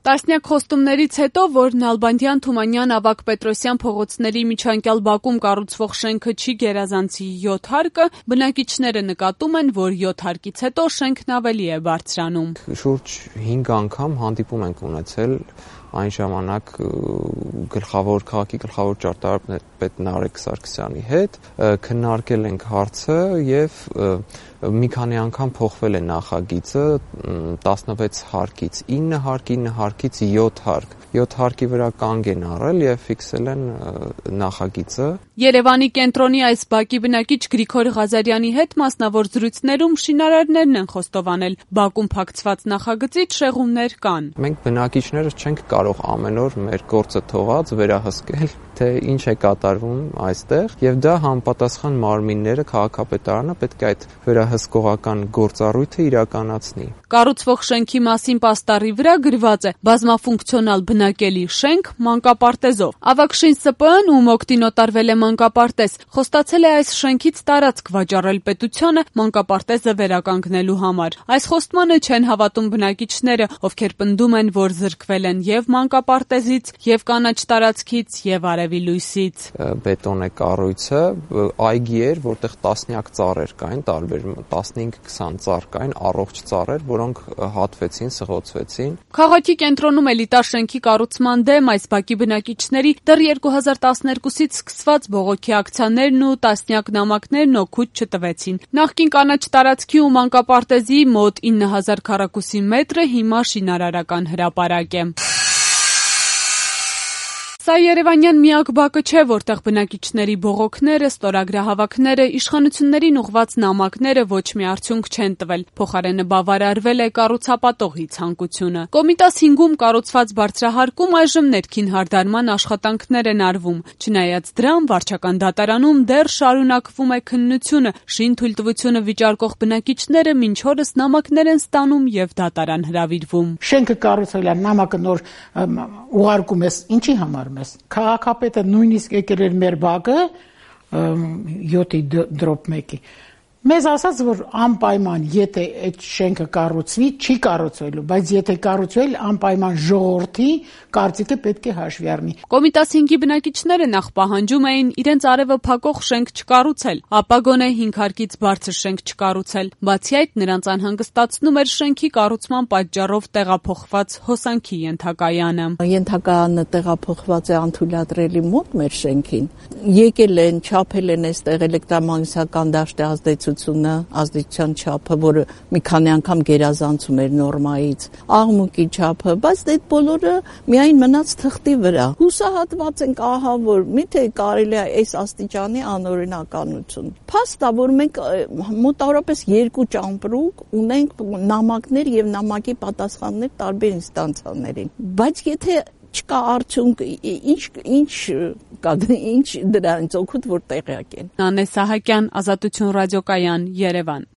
Տասնյակ խոստումներից հետո, որ Նալբանդյան, Թումանյան, Ավագ Պետրոսյան փողոցների միջանկյալ բակում կառուցվող շենքը չի գերազանցի 7 հարկը, բնակիչները նկատում են, որ 7 հարկից հետո շենքն ավելի է բարձրանում։ Շուրջ 5 անգամ հանդիպում ենք ունեցել այն ժամանակ քաղաքի գլխավոր ճարտարապետ Նարեկ Սարգսյանի հետ, քննարկել ենք հարցը եւ մի քանի անգամ փոխվել է նախագիծը 16 հարկից 9 հարկ, 9 հարկից 7 հարկ։ 7 հարկի վրա կանգ են առել եւ ֆիքսել են նախագիծը։ Երևանի կենտրոնի այս բակի բնակիչ Գրիգոր Ղազարյանի հետ մասնավոր զրույցներում շինարարներն են խոստովանել, բակում փակցված նախագծից շեղումներ կան։ Մենք բնակիչներս չենք կարող ամեն օր մեր գործը թողած վերահսկել, թե ինչ է կատարվում այստեղ, եւ դա համապատասխան մարմինները, քաղաքապետարանը պետք է այդ վերահսկողական գործառույթը իրականացնի։ Կառուցվող շենքի մասին պաստառի վրա գրված է բազմաֆունկցիոնալ բնակելի շենք մանկապարտեզով։ Ավագշին ՍՊԸ-ն, ում օգտին օտարվել է մանկապարտեզ, խոստացել է այս շենքից տարածք վաճառել պետությանը մանկապարտեզը վերականգնելու համար։ Այս խոստմանը չեն հավատում բնակիչները, ովքեր պնդում են, որ զրկվել են եւ մանկապարտեզից, եւ կանաչ տարածքից, եւ արևի լույսից։ Բետոն է կառույցը, այգի էր, որտեղ տասնյակ ծառեր կային, տարբեր 15-20 ծառ կային, առողջ ծառեր, որոնք հատվեցին, սղոցվեցին։ Քաղաքի կենտրոնում էլիտար շենքի կառուցման դեմ այս բակի բնակիչների դեռ 2012-ից սկսված բողոքի ակցիաներն ու տասնյակ նամակներն օգուտ չտվեցին։ Նախկին կանաչ տարածքի ու մանկապարտեզի մոտ 9000 քառակուսի մետրը հիմա շինարարական հրապարակ է։ Սա երևանյան միակ բակը չէ, որտեղ բնակիչների բողոքները, ստորագրահավաքները, իշխանություններին ուղղված նամակները ոչ մի արդյունք չեն տվել, փոխարենը բավարարվել է կառուցապատողի ցանկությունը։ Կոմիտաս 5-ում կառուցված բարձրահարկում այժմ ներքին հարդարման աշխատանքներ են արվում։ Չնայած դրան, վարչական դատարանում դեռ շարունակվում է քննությունը, շին թույլտվությունը վիճարկող բնակիչները մինչ օրս նամակներ են ստանում եւ դատարան հրավիրվում։ Շենքը կառուցվել է, նամակը նոր ուղարկում ես, ինչի համար Քաղաքապետը նույնիսկ եկել էր մեր բակը 7/1-ի մեզ ասաց, որ անպայման եթե այդ շենքը կառուցվի, չի կառուցվելու, բայց եթե կառուցվել, անպայման ժողովրդի կարծիքը պետք է հաշվի առնի։ Կոմիտաս 5-ի բնակիչները նախ պահանջում էին իրենց արևը փակող շենք չկառուցել, ապա գոնե 5 հարկից բարձր շենք չկառուցել։ Բացի այդ, նրանց անհանգստացնում էր շենքի կառուցման պատճառով տեղափոխված հոսանքի ենթակայանը։ Ենթակայանը տեղափոխված է անթույլատրելի մոտ մեր շենքին։ Եկել են, չափել են այստեղ էլեկտրամագնիսական դաշտի ազդեցության չափը, որը մի քանի անգամ գերազանցում էր նորմայից, աղմուկի չափը, բայց այդ բոլորը միայն մնաց թղթի վրա։ Հուսահատված ենք ահա որ միթե կարելի է այս աստիճանի անօրինականություն։ Փաստ է, որ մենք մոտավորապես 2 ճամպրուկ ունենք նամակներ եւ նամակի պատասխաններ տարբեր ինստանցիաներին։ Բայց եթե չկա արդյունք, ինչ դրանից օգուտ որ տեղյակ են։ Նանե Սահակյան, Ազատություն ռադիոկայան, Երևան։